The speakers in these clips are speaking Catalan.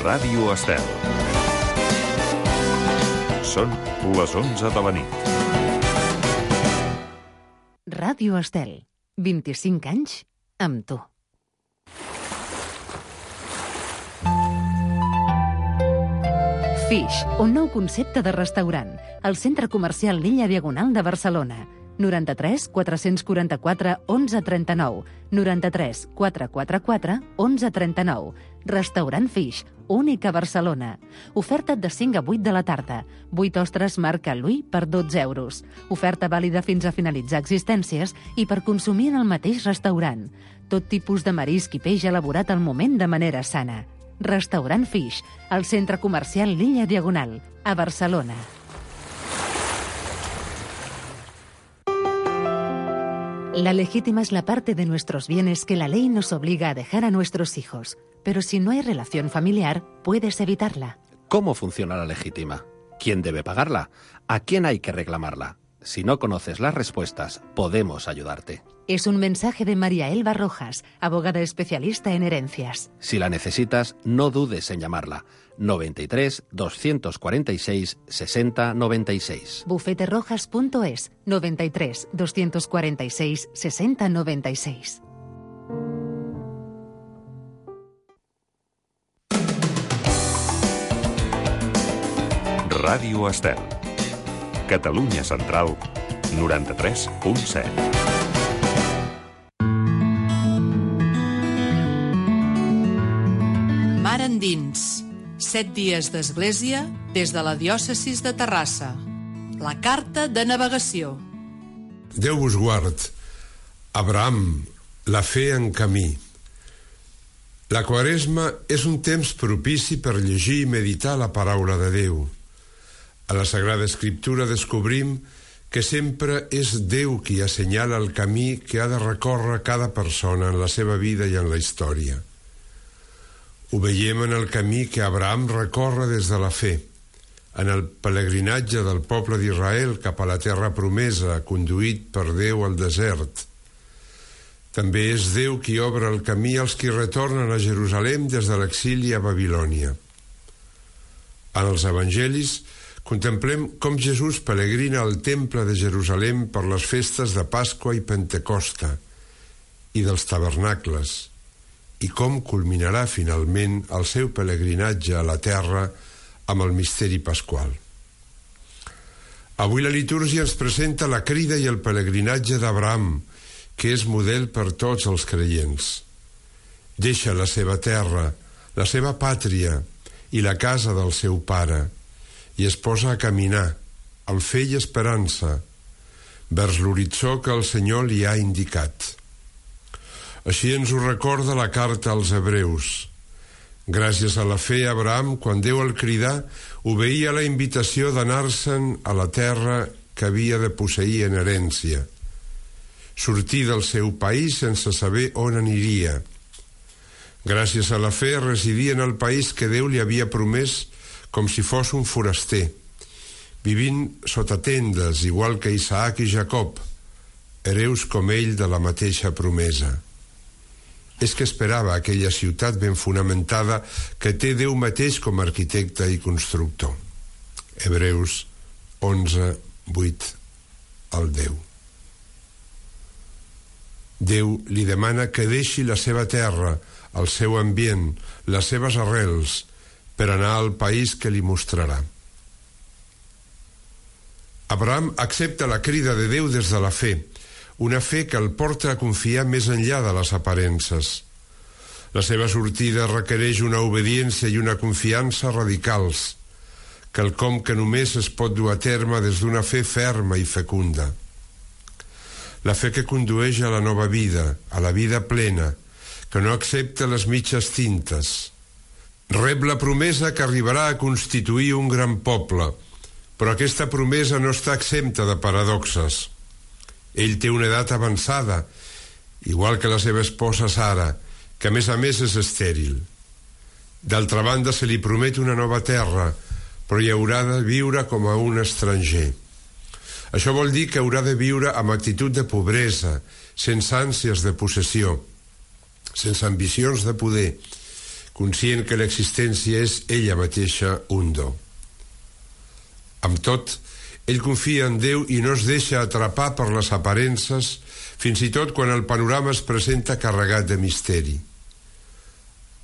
Ràdio Estel. Són les 11 de la nit. Ràdio Estel. 25 anys amb tu. Fish, un nou concepte de restaurant. Al centre comercial L'Illa Diagonal de Barcelona. 93 444 1139. 93 444 1139. Restaurant Fish, únic a Barcelona. Oferta de 5 a 8 de la tarda. 8 ostres marca Louis per 12 euros. Oferta vàlida fins a finalitzar existències i per consumir en el mateix restaurant. Tot tipus de marisc i peix elaborat al moment de manera sana. Restaurant Fish, al centre comercial L'Illa Diagonal, a Barcelona. La legítima es la parte de nuestros bienes que la ley nos obliga a dejar a nuestros hijos. Pero si no hay relación familiar, puedes evitarla. ¿Cómo funciona la legítima? ¿Quién debe pagarla? ¿A quién hay que reclamarla? Si no conoces las respuestas, podemos ayudarte. Es un mensaje de María Elba Rojas, abogada especialista en herencias. Si la necesitas, no dudes en llamarla. 93 246 60 96. Bufeterojas.es 93 246 60 96. Ràdio Estel. Catalunya Central, 93.7. Mar endins. 7 dies d'església des de la diòcesis de Terrassa. La carta de navegació. Déu vos guard. Abraham, la fe en camí. La Quaresma és un temps propici per llegir i meditar la paraula de Déu. A la Sagrada Escriptura descobrim que sempre és Déu qui assenyala el camí que ha de recórrer cada persona en la seva vida i en la història. Ho veiem en el camí que Abraham recorre des de la fe, en el pelegrinatge del poble d'Israel cap a la terra promesa, conduït per Déu al desert. També és Déu qui obre el camí als qui retornen a Jerusalem des de l'exili a Babilònia. En els evangelis contemplem com Jesús pelegrina al temple de Jerusalem per les festes de Pasqua i Pentecosta i dels tabernacles, i com culminarà finalment el seu pelegrinatge a la terra amb el misteri pasqual. Avui la litúrgia ens presenta la crida i el pelegrinatge d'Abraham, que és model per tots els creients. Deixa la seva terra, la seva pàtria i la casa del seu pare, i es posa a caminar, amb fe i esperança, vers l'horitzó que el Senyor li ha indicat. Així ens ho recorda la carta als Hebreus. Gràcies a la fe, Abraham, quan Déu el cridà, obeïa la invitació d'anar-se'n a la terra que havia de posseir en herència. Sortir del seu país sense saber on aniria. Gràcies a la fe, residia en el país que Déu li havia promès com si fos un foraster, vivint sota tendes, igual que Isaac i Jacob, hereus com ell de la mateixa promesa. És que esperava aquella ciutat ben fonamentada que té Déu mateix com a arquitecte i constructor. Hebreus 11, 8 al 10. Déu li demana que deixi la seva terra, el seu ambient, les seves arrels, per anar al país que li mostrarà. Abraham accepta la crida de Déu des de la fe, una fe que el porta a confiar més enllà de les aparences. La seva sortida requereix una obediència i una confiança radicals, quelcom que només es pot dur a terme des d'una fe ferma i fecunda. La fe que condueix a la nova vida, a la vida plena, que no accepta les mitges tintes. Rep la promesa que arribarà a constituir un gran poble, però aquesta promesa no està exempta de paradoxes. Ell té una edat avançada, igual que la seva esposa Sara, que a més és estèril. D'altra banda, se li promet una nova terra, però hi haurà de viure com a un estranger. Això vol dir que haurà de viure amb actitud de pobresa, sense ànsies de possessió, sense ambicions de poder, conscient que l'existència és ella mateixa un do. Amb tot, ell confia en Déu i no es deixa atrapar per les aparences, fins i tot quan el panorama es presenta carregat de misteri.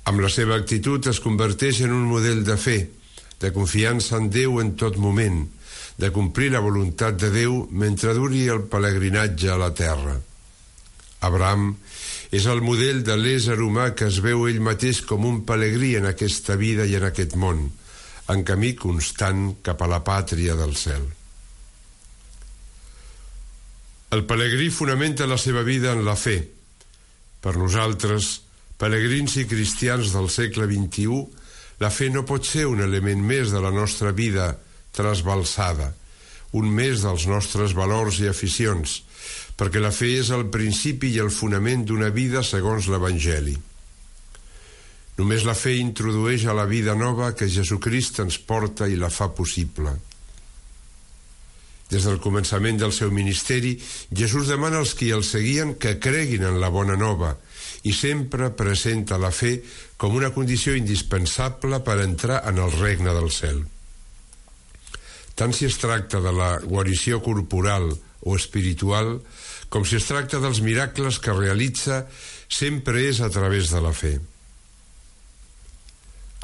Amb la seva actitud es converteix en un model de fe, de confiança en Déu en tot moment, de complir la voluntat de Déu mentre duri el pelegrinatge a la terra. Abraham és el model de l'ésser humà que es veu ell mateix com un pelegrí en aquesta vida i en aquest món, en camí constant cap a la pàtria del cel. El pelegrí fonamenta la seva vida en la fe. Per nosaltres, pelegrins i cristians del segle XXI, la fe no pot ser un element més de la nostra vida trasbalsada, un més dels nostres valors i aficions, perquè la fe és el principi i el fonament d'una vida segons l'Evangeli. Només la fe introdueix a la vida nova que Jesucrist ens porta i la fa possible. Des del començament del seu ministeri, Jesús demana als qui el seguien que creguin en la bona nova i sempre presenta la fe com una condició indispensable per entrar en el regne del cel. Tant si es tracta de la guarició corporal o espiritual, com si es tracta dels miracles que realitza, sempre és a través de la fe.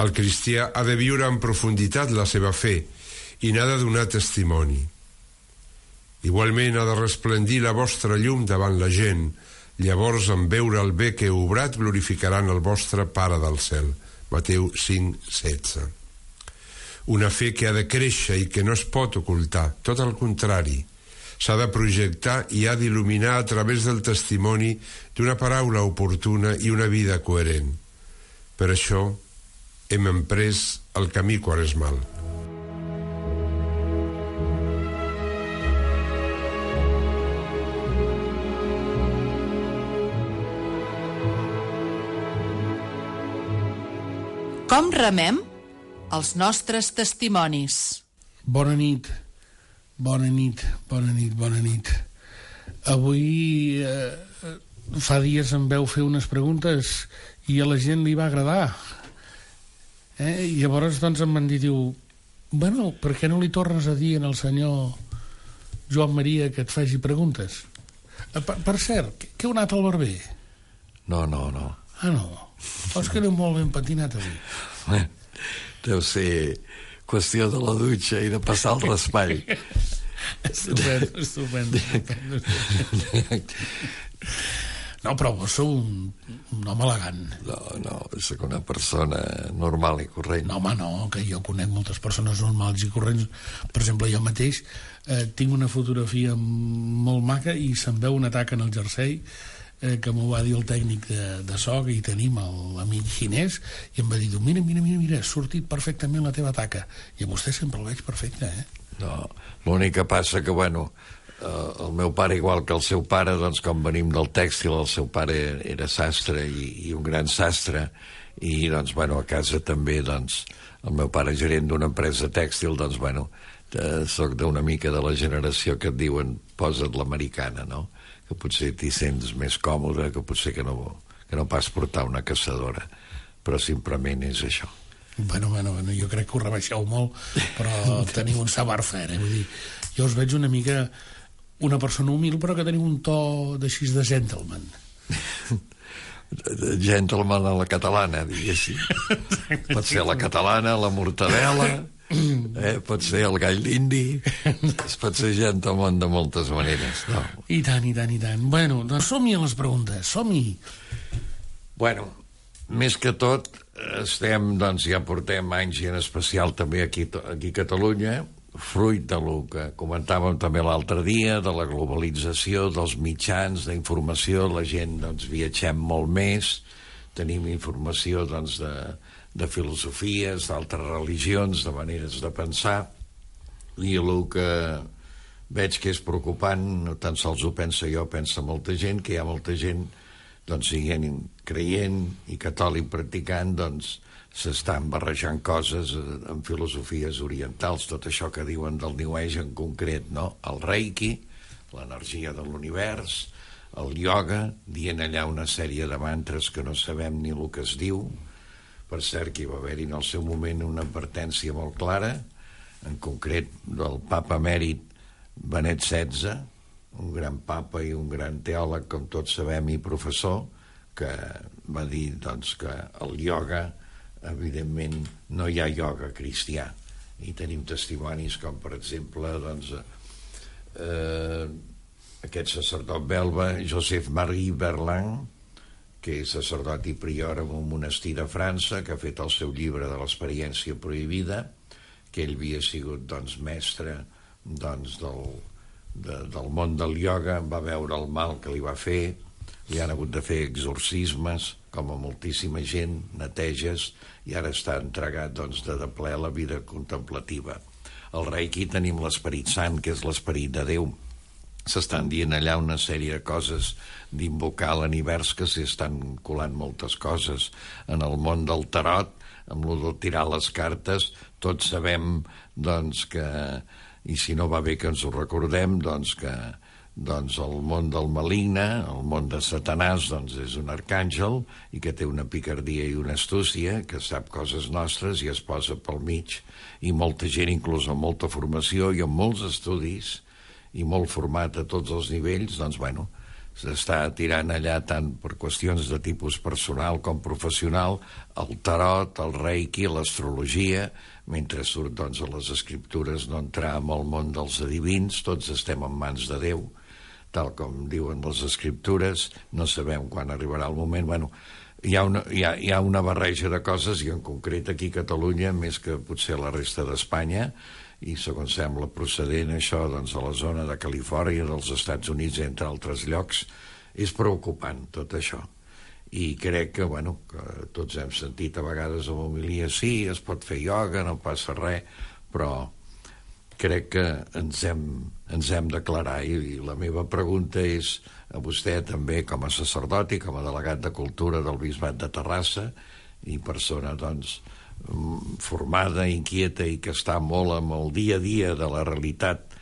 El cristià ha de viure en profunditat la seva fe i n'ha de donar testimoni. Igualment ha de resplendir la vostra llum davant la gent, llavors en veure el bé que heu obrat glorificaran el vostre Pare del cel. Mateu 5:16. Una fe que ha de créixer i que no es pot ocultar, tot el contrari. S'ha de projectar i ha d'il·luminar a través del testimoni d'una paraula oportuna i una vida coherent. Per això hem emprès el camí quaresmal. Com remem? Els nostres testimonis. Bona nit. Avui fa dies em veu fer unes preguntes i a la gent li va agradar. I llavors doncs em van dir, bueno, per què no li tornes a dir al senyor Joan Maria que et faci preguntes? Per cert, que heu anat al barber? No. Ah, no? És que aneu molt ben patinat avui. Deu ser qüestió de la dutxa i de passar el raspall. Estupendo. No, però vos sou un home elegant. No, soc una persona normal i corrent. No, home, no, que jo conec moltes persones normals i corrents. Per exemple, jo mateix tinc una fotografia molt maca i se'n veu una taca en el jersei que m'ho va dir el tècnic de so, que hi tenim l'amic xinès, i em va dir, mira, ha sortit perfectament la teva taca. I a vostè sempre el veig perfecte, No, l'únic que passa que, el meu pare, igual que el seu pare, doncs, com venim del tèxtil, el seu pare era sastre i un gran sastre, i, doncs, a casa també, doncs, el meu pare gerent d'una empresa tèxtil, doncs, soc d'una mica de la generació que et diuen posa't l'americana, no? Que potser t'hi sents més còmode, que potser que no pas portar una caçadora, però simplement és això. Bueno, jo crec que ho rebaixeu molt, però teniu un savoir-faire, vull dir, jo us veig una mica una persona humil, però que teniu un to d'així de gentleman. Gentleman a la catalana, diguéssim. Pot ser la catalana, la mortadela, pot ser el gall d'indi, es pot ser gentleman de moltes maneres, no? I tant. Bueno, doncs som-hi a les preguntes, som-hi. Més que tot, ja portem anys, i en especial també aquí a Catalunya, fruit del que comentàvem també l'altre dia, de la globalització, dels mitjans d'informació, la gent viatgem molt més, tenim informació de filosofies, d'altres religions, de maneres de pensar, i el que veig que és preocupant, no tan sols ho penso jo, pensa molta gent, que hi ha molta gent siguent creient i catòlic practicant, s'estan barrejant coses en filosofies orientals, tot això que diuen del New Age en concret, no? El Reiki, l'energia de l'univers, el ioga, dient allà una sèrie de mantres que no sabem ni el que es diu, Per cert, que hi va haver-hi en el seu moment una advertència molt clara, en concret del papa emèrit Benet XVI, un gran papa i un gran teòleg, com tots sabem, i professor, que va dir doncs, que el ioga, evidentment, no hi ha ioga cristià. I tenim testimonis com, per exemple, doncs, aquest sacerdot belga, Joseph-Marie Berland, que és sacerdot i prior en un monestir de França, que ha fet el seu llibre de l'experiència prohibida, que ell havia sigut doncs, mestre doncs, del món del ioga, va veure el mal que li va fer, li han hagut de fer exorcismes, com a moltíssima gent, neteges, i ara està entregat doncs, de ple a la vida contemplativa. Al Reiki tenim l'Esperit Sant, que és l'Esperit de Déu. S'estan dient allà una sèrie de coses d'invocar l'univers, que s'hi estan colant moltes coses. En el món del tarot, amb lo de tirar les cartes, tots sabem doncs, que, i si no va bé que ens ho recordem, doncs, que doncs, el món del maligne, el món de Satanàs, doncs, és un arcàngel i que té una picardia i una astúcia, que sap coses nostres i es posa pel mig, i molta gent, inclús amb molta formació i amb molts estudis, i molt format a tots els nivells, doncs, bueno, s'està tirant allà tant per qüestions de tipus personal com professional, el tarot, el reiki, l'astrologia, mentre surt, doncs, a les escriptures no entrar en el món dels adivins, tots estem en mans de Déu, tal com diuen les escriptures, no sabem quan arribarà el moment, bueno, hi ha una barreja de coses, i en concret aquí a Catalunya, més que potser a la resta d'Espanya, i segons sembla procedent això doncs, a la zona de Califòrnia, dels Estats Units, entre altres llocs, és preocupant tot això. I crec que, bueno, que tots hem sentit a vegades amb homilia, sí, es pot fer ioga, no passa res, però crec que ens hem d'aclarar, i la meva pregunta és a vostè també, com a sacerdot i com a delegat de cultura del Bisbat de Terrassa, i persona, doncs, formada, inquieta i que està molt amb el dia a dia de la realitat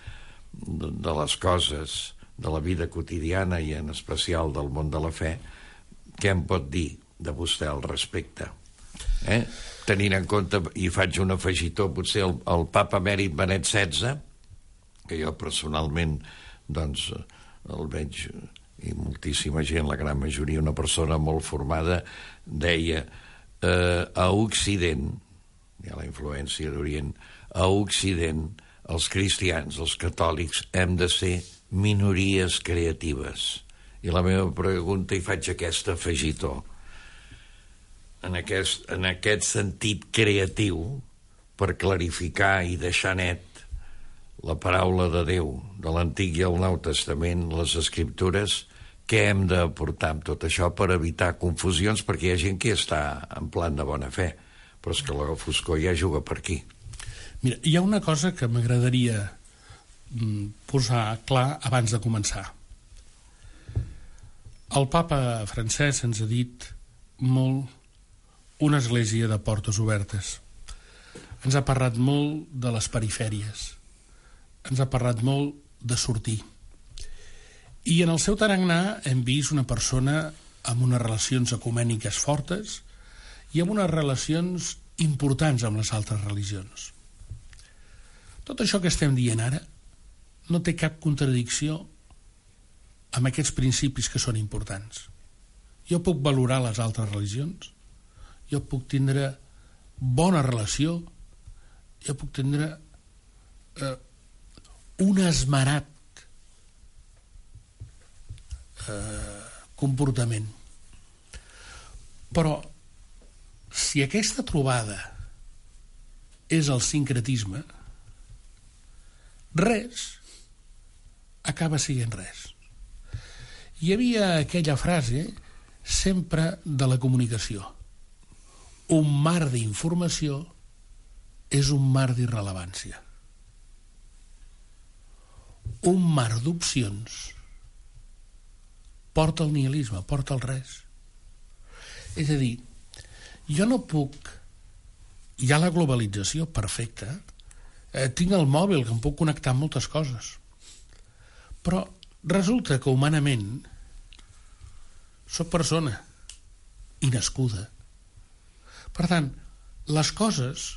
de les coses, de la vida quotidiana i en especial del món de la fe, què em pot dir de vostè al respecte? Tenint en compte, i faig un afegitó, potser el papa emèrit Benet XVI, que jo personalment doncs el veig, i moltíssima gent, la gran majoria, una persona molt formada, deia a Occident, hi ha la influència d'Orient, a Occident els cristians, els catòlics, hem de ser minories creatives. I la meva pregunta, i faig aquest afegitó, en aquest sentit creatiu, per clarificar i deixar net la paraula de Déu, de l'Antic i el Nou Testament, les Escriptures, què hem d'aportar amb tot això per evitar confusions, perquè hi ha gent que està en plan de bona fe, però és que la foscor ja juga per aquí. Mira, hi ha una cosa que m'agradaria posar clar abans de començar. El papa francès ens ha dit molt una església de portes obertes. Ens ha parlat molt de les perifèries. Ens ha parlat molt de sortir. I en el seu tarannà hem vist una persona amb unes relacions ecumèniques fortes i amb unes relacions importants amb les altres religions. Tot això que estem dient ara no té cap contradicció amb aquests principis que són importants. Jo puc valorar les altres religions, jo puc tindre bona relació, jo puc tindre un esmerat comportament. Però si aquesta trobada és el sincretisme, res acaba sent res. Hi havia aquella frase sempre de la comunicació: un mar d'informació és un mar d'irrellevància. Un mar d'opcions porta al nihilisme, porta al res. És a dir, jo no puc... Hi ha la globalització perfecta, tinc el mòbil que em puc connectar amb moltes coses, però resulta que humanament soc persona i nascuda. Per tant, les coses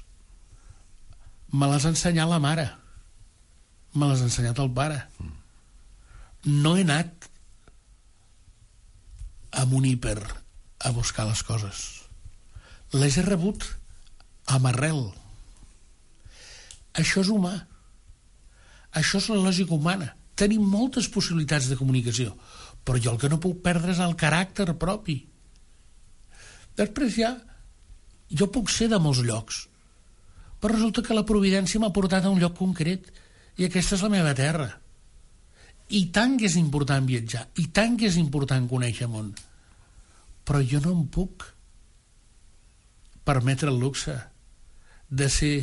me les ha ensenyat la mare, me les ha ensenyat el pare. No he anat amb un hiper a buscar les coses. Les he rebut amb arrel. Això és humà. Això és la lògica humana. Tenim moltes possibilitats de comunicació, però jo el que no puc perdre és el caràcter propi. Després jo puc ser de molts llocs, però resulta que la providència m'ha portat a un lloc concret i aquesta és la meva terra. I tant que és important viatjar, i tant que és important conèixer món, però jo no em puc permetre el luxe de ser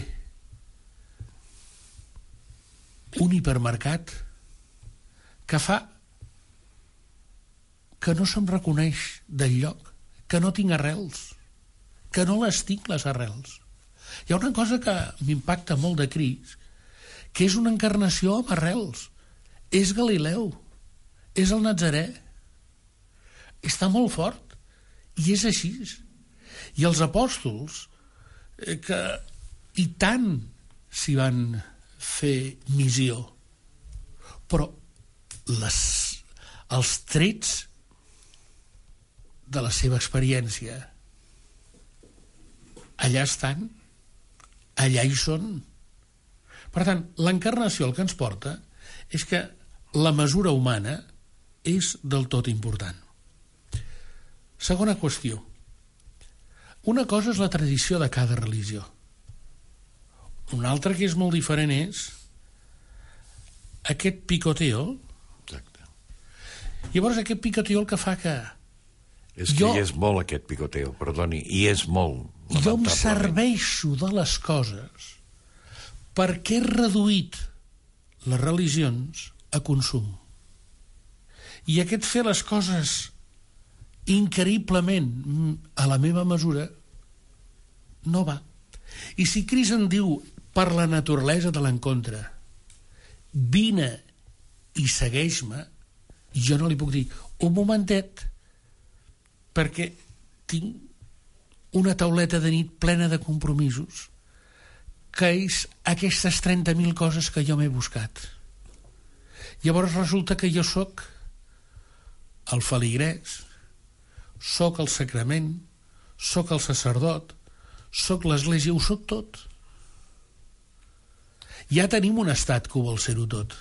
un hipermercat que fa que no se'm reconeix del lloc, que no tinc arrels, que no les tinc, les arrels. Hi ha una cosa que m'impacta molt de Crist, que és una encarnació amb arrels. És Galileu, és el Nazarè. Està molt fort, i és així. I els apòstols, que i tant s'hi van fer missió, però els trets de la seva experiència allà estan, allà hi són. Per tant, l'encarnació el que ens porta és que la mesura humana és del tot important. Segona qüestió. Una cosa és la tradició de cada religió. Una altra que és molt diferent és aquest picoteo. Exacte. Llavors aquest picoteo el que fa que és que hi és molt aquest picoteo, perdoni, hi és molt. Jo em serveixo de les coses perquè he reduït les religions a consum. I aquest fer les coses increïblement a la meva mesura no va. I si Crist en diu per la naturalesa de l'encontre, vine i segueix-me, jo no li puc dir un momentet perquè tinc una tauleta de nit plena de compromisos, que és aquestes 30.000 coses que jo m'he buscat. Llavors resulta que jo sóc el feligrès, sóc el sacrament, sóc el sacerdot, sóc l'església, ho sóc tot. Ja tenim un estat que ho vol ser-ho tot.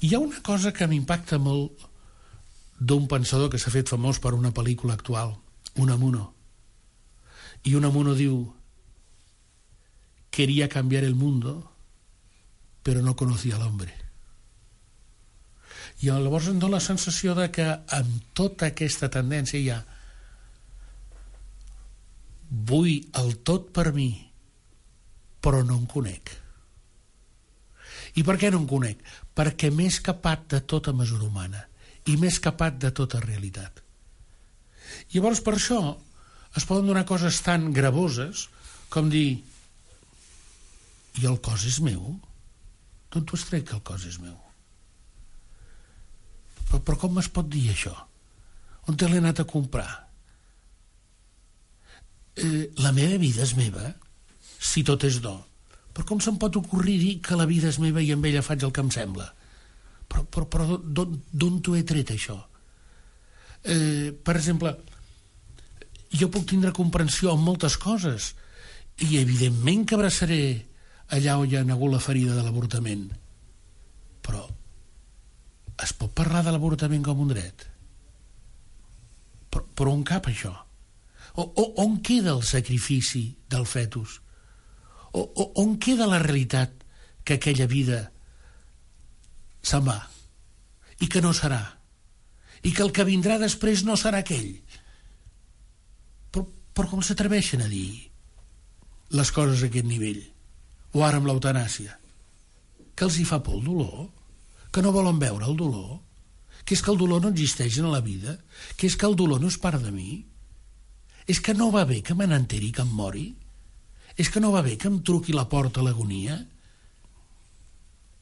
Hi ha una cosa que m'impacta molt d'un pensador que s'ha fet famós per una pel·lícula actual, Unamuno. I Unamuno diu: quería cambiar el mundo, pero no conocía al hombre. I llavors em dóna la sensació de que amb tota aquesta tendència hi ha vull el tot per mi, però no em conec. I per què no em conec? Perquè m'he escapat de tota mesura humana i m'he escapat de tota realitat. Llavors per això es poden donar coses tan gravoses com dir: i el cos és meu? D'on t'ho has tret que el cos és meu? Però com es pot dir això? On te l'he anat a comprar? La meva vida és meva, si tot és do. Però com se'm pot ocorrir dir que la vida és meva i amb ella faig el que em sembla? Però d'on t'ho he tret, això? Per exemple, jo puc tindre comprensió en moltes coses i evidentment que abraçaré allà on hi ha hagut la ferida de l'avortament, però es pot parlar de l'avortament com un dret? Però on cap això? On queda el sacrifici del fetus? On queda la realitat que aquella vida se'n va i que no serà i que el que vindrà després no serà aquell? Però com s'atreveixen a dir les coses a aquest nivell? O ara amb l'eutanàsia, que els hi fa por el dolor, que no volen veure el dolor, que és que el dolor no existeix en la vida, que és que el dolor no és part de mi, és que no va bé que me n'enteri que em mori, és que no va bé que em truqui la porta a l'agonia,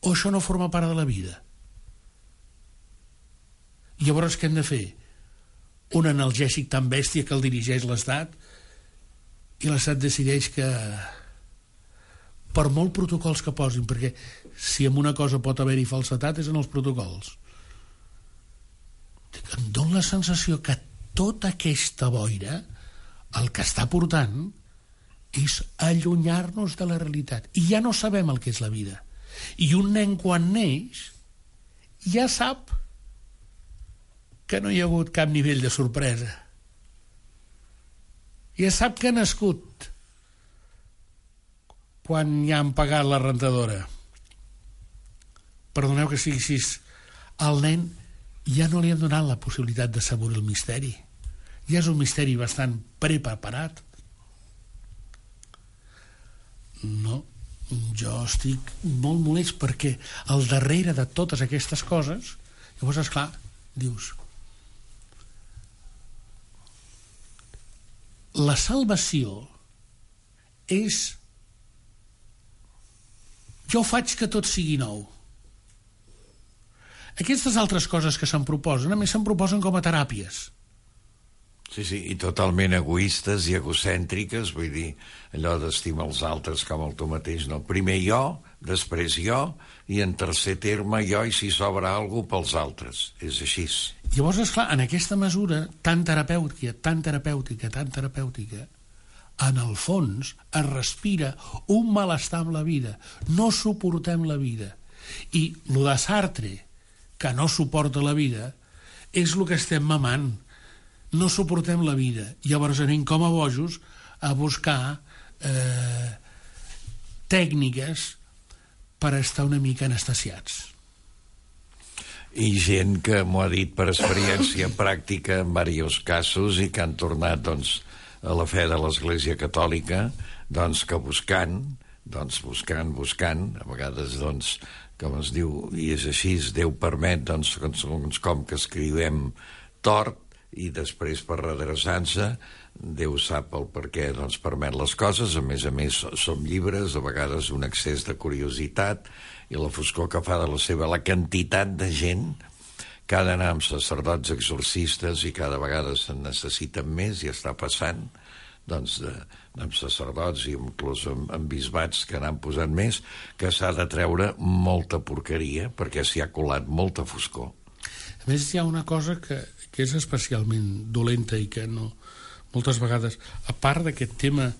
o això no forma part de la vida? I llavors què hem de fer? un analgèsic tan bèstia que el dirigeix l'Estat, i l'Estat decideix que, per molt protocols que posin, perquè si en una cosa pot haver-hi falsetat és en els protocols, em dóna la sensació que tota aquesta boira el que està portant és allunyar-nos de la realitat, i ja no sabem el que és la vida. I un nen quan neix ja sap que no hi ha hagut cap nivell de sorpresa, ja sap que ha nascut quan ja han pagat la rentadora. Perdoneu que sigui així, al nen ja no li han donat la possibilitat de saborir el misteri, ja és un misteri bastant preparat. No, jo estic molt molest perquè al darrere de totes aquestes coses, llavors, esclar, dius, la salvació és jo faig que tot sigui nou. Aquestes altres coses que se'n proposen, a més se'n proposen com a teràpies. Sí, i totalment egoistes i egocèntriques, vull dir, allò d'estimar els altres com el tu mateix, no? Primer jo, després jo, i en tercer terme jo, i si sobra alguna cosa pels altres. És així. Llavors, esclar, en aquesta mesura tan terapèutica, en el fons es respira un malestar amb la vida. No suportem la vida. I el de Sartre, que no suporta la vida, és el que estem mamant. No suportem la vida. Llavors anem com a bojos a buscar tècniques per estar una mica anestesiats. I gent que m'ho ha dit per experiència pràctica en diversos casos i que han tornat, doncs, a la fe de l'Església Catòlica, doncs, que buscant, a vegades, doncs, com es diu, i és així, Déu permet, doncs, com que escrivem tort, i després per redreçar-se Déu sap el per què doncs, permet les coses. A més, som llibres, a vegades un excés de curiositat i la foscor que fa de la quantitat de gent que ha d'anar amb sacerdots exorcistes i cada vegada se'n necessiten més, i està passant doncs, amb sacerdots i inclús amb bisbats que n'han posat més, que s'ha de treure molta porqueria perquè s'hi ha colat molta foscor. A més, hi ha una cosa que és especialment dolenta i que no, moltes vegades, a part d'aquest tema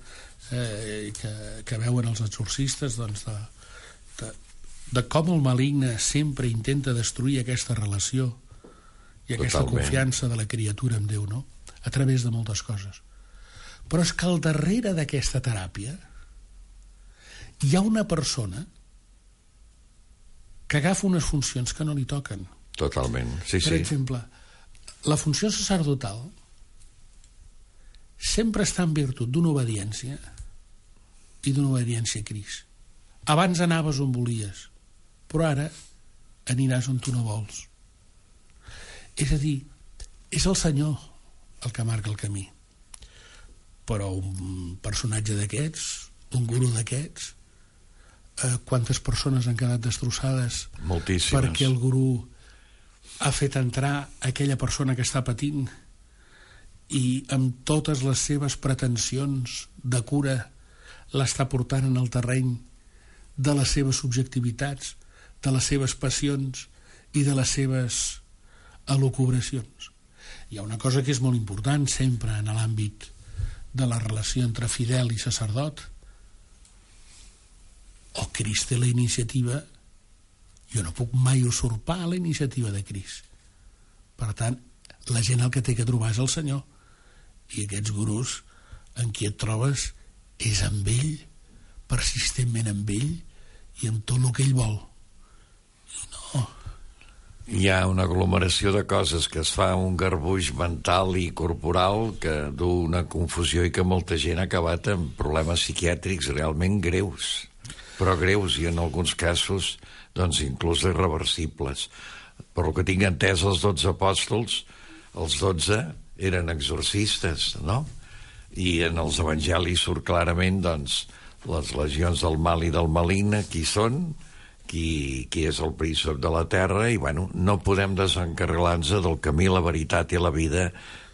que veuen els exorcistes, doncs, de com el maligne sempre intenta destruir aquesta relació i aquesta confiança de la criatura en Déu, no? A través de moltes coses. Però és que al darrere d'aquesta teràpia hi ha una persona que agafa unes funcions que no li toquen. Totalment, sí. Per exemple, la funció sacerdotal sempre està en virtut d'una obediència i d'una obediència a Crist. Abans anaves on volies, però ara aniràs on tu no vols. És a dir, és el Senyor el que marca el camí. Però un personatge d'aquests, un gurú d'aquests, quantes persones han quedat destrossades? Moltíssimes. Perquè el gurú ha fet entrar aquella persona que està patint i amb totes les seves pretensions de cura l'està portant en el terreny de les seves subjectivitats, de les seves passions i de les seves elucubracions. Hi ha una cosa que és molt important sempre en l'àmbit de la relació entre fidel i sacerdot. O Crist té la iniciativa, jo no puc mai usurpar la iniciativa de Crist. Per tant, la gent el que té que trobar és el Senyor, i aquests gurús en qui et trobes és amb ell, persistentment amb ell i amb tot el que ell vol. No. Hi ha una aglomeració de coses que es fa un garbuix mental i corporal que du una confusió i que molta gent ha acabat amb problemes psiquiàtrics realment greus, però greus, i en alguns casos doncs inclús irreversibles. Per lo que tinc entès, els 12 apòstols, els 12 eren exorcistes, no? I en els evangelis surt clarament, doncs, les legions del mal i del maligne, qui són, qui és el príncep de la terra, i, bueno, no podem desencarrilar-nos del camí, la veritat i la vida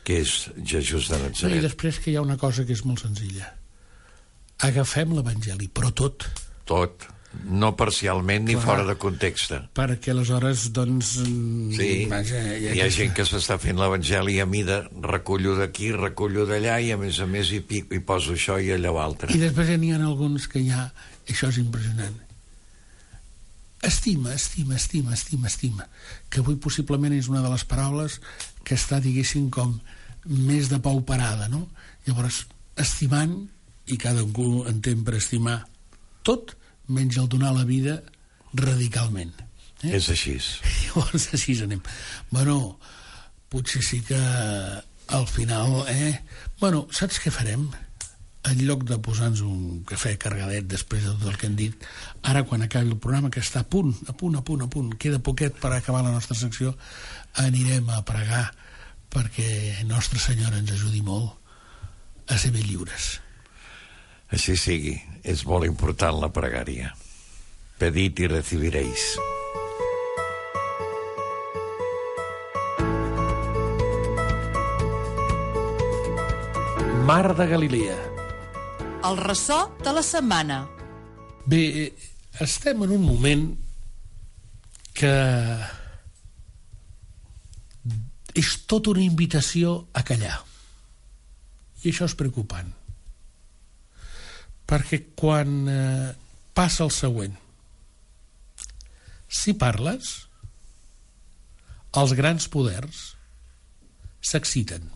que és Jesús de I Natzaret. després que hi ha una cosa que és molt senzilla. Agafem l'Evangeli, però tot. Tot, no parcialment ni Clar. fora de context. Perquè aleshores, doncs... Sí, vaja, hi ha gent que s'està fent l'Evangeli a mida, recullo d'aquí, recullo d'allà, i a més hi poso això i allò altre. I després n'hi ha alguns que ja... Això és impressionant. Estima, que avui possiblement és una de les paraules que està, diguéssim, com més de pauperada, no? Llavors, estimant, i cadascú entén per estimar tot, menys el donar la vida radicalment. És així. Llavors, així anem. Bueno, potser sí que al final, Bueno, saps què farem? En lloc de posar-nos un cafè cargadet després de tot el que hem dit, ara quan acabi el programa, que està a punt, queda poquet per acabar la nostra secció, anirem a pregar perquè Nostra Senyora ens ajudi molt a ser ben lliures. Així sigui, és molt important la pregària. Pedid i recibiréis. Mar de Galilea. El ressò de la setmana. Bé, estem en un moment que és tota una invitació a callar. I això és preocupant. Perquè quan passa el següent, si parles, els grans poders s'exciten.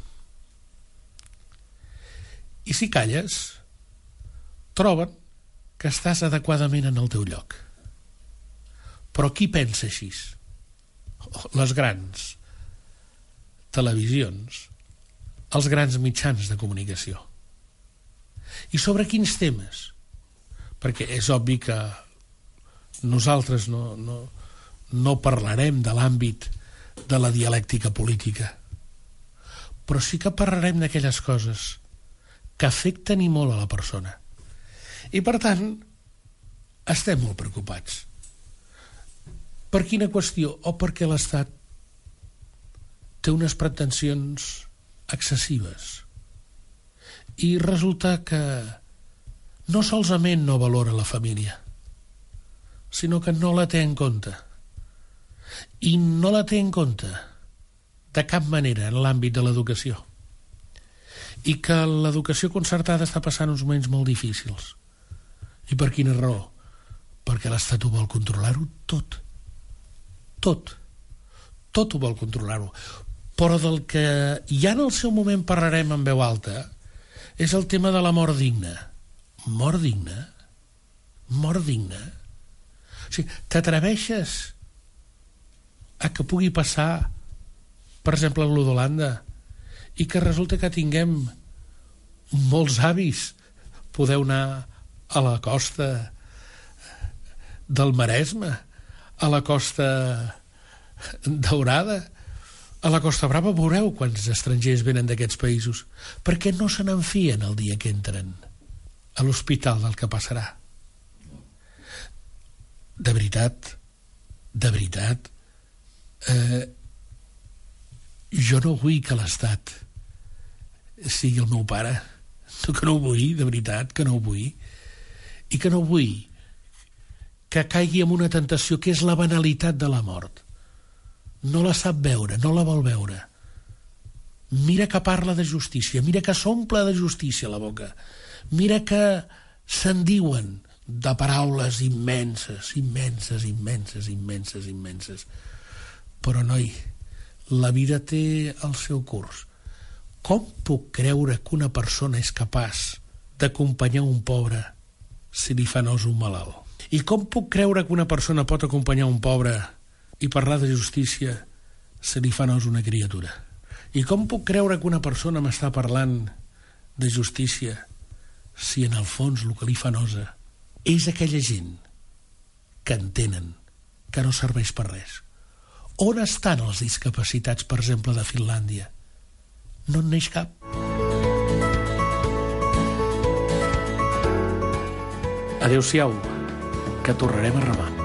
I si calles, troben que estàs adequadament en el teu lloc. Però qui pensa així? Les grans televisions, els grans mitjans de comunicació. I sobre quins temes? Perquè és obvi que nosaltres no parlarem de l'àmbit de la dialèctica política, però sí que parlarem d'aquelles coses que afecten i molt a la persona. I per tant, estem molt preocupats. Per quina qüestió? O perquè l'Estat té unes pretensions excessives. I resulta que no solament no valora la família, sinó que no la té en compte. I no la té en compte de cap manera en l'àmbit de l'educació. I que l'educació concertada està passant uns moments molt difícils. I per quina raó? Perquè l'Estat ho vol controlar-ho tot. Tot ho vol controlar-ho. Però del que ja en el seu moment parlarem en veu alta és el tema de la mort digna. Mort digna? Mort digna? O sigui, t'atreveixes a que pugui passar, per exemple, a l'Holanda, i que resulta que tinguem molts avis, podeu anar a la costa del Maresme, a la costa Daurada, a la Costa Brava, veureu quants estrangers venen d'aquests països, perquè no se n'enfien el dia que entren a l'hospital del que passarà. De veritat, jo no vull que l'Estat sigui el meu pare, que no ho vull, de veritat, que no ho vull, i que no vull que caigui en una tentació que és la banalitat de la mort. No la sap veure, no la vol veure. Mira que parla de justícia, mira que s'omple de justícia la boca, mira que se'n diuen de paraules immenses. Però, noi, la vida té el seu curs. Com puc creure que una persona és capaç d'acompanyar un pobre si li fa nos un malalt? I com puc creure que una persona pot acompanyar un pobre i parlar de justícia si li fa nos una criatura? I com puc creure que una persona m'està parlant de justícia si en el fons el que li fa nosa és aquella gent que entenen que no serveix per res? On estan els discapacitats, per exemple, de Finlàndia? No en neix cap. Adéu-siau, que tornarem a remar.